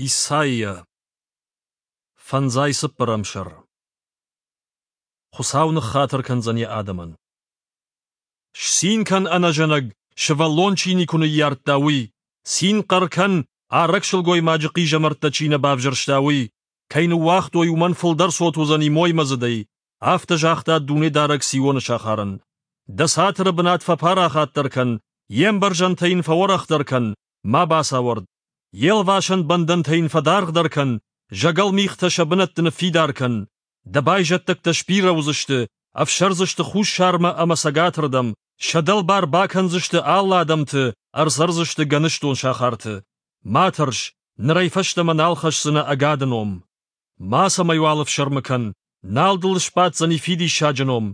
Исайя Фӕндзай цыппӕрӕм сӕр Хуыцау ныххатыр кӕндзӕн йӕ адӕмӕн. Сцин кӕн, ӕнӕзӕнӕг, сывӕллон чи никуы ныййардта, уый! Цин хъӕр кӕн, арӕг сылгоймаджы хъизӕмӕрттӕ чи нӕ бавзӕрста, уый! Кӕй ныууагътой, уымӕн фылдӕр цот уыдзӕни моймӕдзыдӕй. Афтӕ загъта Дунедарӕг Сионы сахарӕн. Дӕ цатыры бынат фӕпарахатдӕр кӕн, йе мбӕрзӕнтӕ йын фӕуӕрӕхдӕр кӕн, ма бацауӕрд. Йе лвасӕн бӕндӕнтӕ йын фӕдаргъдӕр кӕн, зӕгӕл мигътӕ сӕ бынӕтты ныффидар кӕн. Дӕ байзӕддӕгтӕ сбирӕ уыдзысты, ӕфсӕрдзысты хуссармӕ ӕмӕ цӕгатырдӕм, сӕ дӕлбар бакӕндзысты алы адӕмты, ӕрцӕрдзысты гӕныстон сахарты. Ма тӕрс, нырӕй фӕстӕмӕ нал хӕсдзынӕ ӕгады ном. Мацӕмӕйуал ӕфсӕрмы кӕн, нал дыл сбаддзӕни фидиссаджы ном.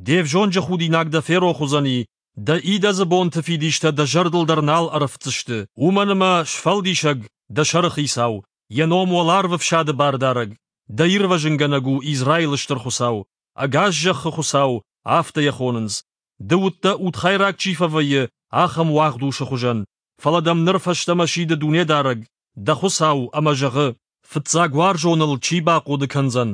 Де взонджы худинаг дӕ ферох уыдзӕни, Дӕ идӕдзы бонты фидистӕ дӕ зӕрдыл дӕр нал ӕрӕфтдзысты, уымӕн ӕмӕ Сфӕлдисӕг, дӕ сӕрыхицау, йӕ ном уӕларвы фсады бардарӕг, дӕ ирвӕзынгӕнӕг у Израилы Стыр Хуыцау, ӕгас зӕххы Хуыцау, афтӕ йӕ хонынц. Ды уыдтӕ, удхайраг чи фӕвӕййы, ахӕм уагъд усы хуызӕн, фӕлӕ дӕм ныр фӕстӕмӕ сиды Дунедарӕг, дӕ Хуыцау, ӕмӕ зӕгъы: Фыццаг уарзоныл чи бахъоды кӕндзӕн?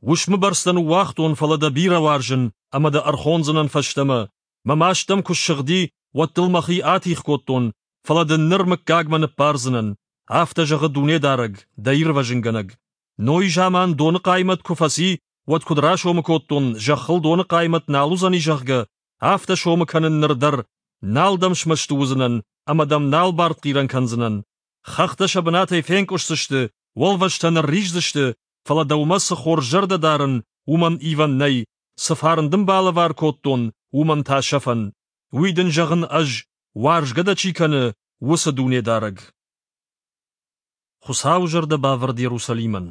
Уысмы бӕрц дӕ ныууагътон, фӕлӕ дӕ бирӕ уарзын ӕмӕ дӕ ӕрхондзынӕн фӕстӕмӕ. Мӕ маст дӕм куы ссыгъди, уӕд дыл мӕхи атигъ кодтон, фӕлӕ дын ныр мыггагмӕ ныббардзынӕн. Афтӕ зӕгъы Дунедарӕг, дӕ ирвӕзынгӕнӕг. Нойы заман доны хъаймӕт куы фӕци, уӕд куыд расомы кодтон, зӕххыл доны хъаймӕт нал уыдзӕни, зӕгъгӕ, афтӕ сомы кӕнын ныр дӕр, нал дӕм смӕсты уыдзынӕн ӕмӕ дӕм нал бартхъирӕн кӕндзынӕн. Хӕхтӕ сӕ бынатӕй фенкъуысдзысты, уӕлвӕзтӕ нырриздзысты, фӕлӕ дӕумӕ цы хорз зӕрдӕ дарын, уымӕн ивӕн нӕй, цы фарн дын балӕвар кодтон, уымӕн та сӕфӕн. Уый дын зӕгъын ӕз, уарзгӕ дӕ чи кӕны, уыцы Дунедарӕг. Хуыцауы зӕрдӕ бавӕрд Иерусалимӕн.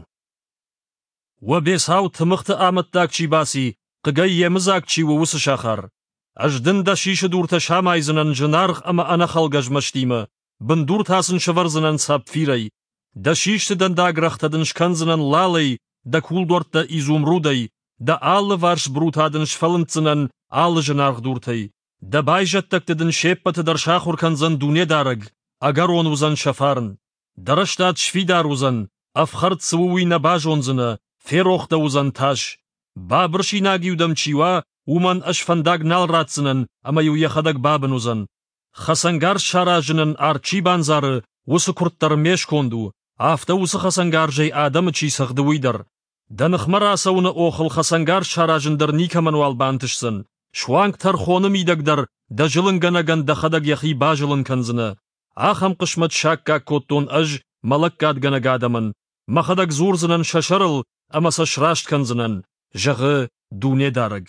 Уӕ бецау тымыгъты амӕттаг чи баци, хъыгӕй йемыдзаг чи у, уыцы сахар. Ӕз дын дӕ сисы дуртӕ самайдзынӕн зынаргъ ӕмӕ ӕнӕхӕлгӕ змӕстимӕ, бындур та сын сӕвӕрдзынӕн сапфирӕй. Дӕ систы дӕндагрӕгътӕ дын скӕндзынӕн лалӕй, дӕ кулдуӕрттӕ изумрудӕй, дӕ алыварс брута дын сфӕлынддзынӕн алы зынаргъ дуртӕй. Дӕ байзӕддӕгты дын се ппӕты дӕр сахуыр кӕндзӕн Дунедарӕг, ӕгӕрон уыдзӕн сӕ фарн. Дӕ рӕстад сфидар уыдзӕн, ӕфхӕрд цы у, уый нӕ базондзынӕ, ферох дӕ уыдзӕн тас. Бабырсинаг-иу дӕм чи уа, уымӕн ӕз фӕндаг нал ратдзынӕн, ӕмӕ-иу йӕхӕдӕг бабын уыдзӕн. Хӕцӕнгарз саразынӕн арт чи бандзары, уыцы куырд дӕр ме сконд у, афтӕ уыцы хӕцӕнгарзӕй адӕмы чи цӕгъды, уый дӕр. Дӕ ныхмӕ рацӕуыны охыл хӕцӕнгарз саразын дӕр никӕмӕнуал бантысдзӕн. Суанг тӕрхоны мидӕг дӕр дӕ зылынгӕнӕгӕн дӕхӕдӕг йӕхи базылын кӕндзынӕ. Ахӕм хъысмӕт саккаг кодтон ӕз мӕ лӕггадгӕнӕг адӕмӕн, мӕхӕдӕг дзурдзынӕн сӕ сӕрыл ӕмӕ сӕ сраст кӕндзынӕн, зӕгъы Дунедарӕг.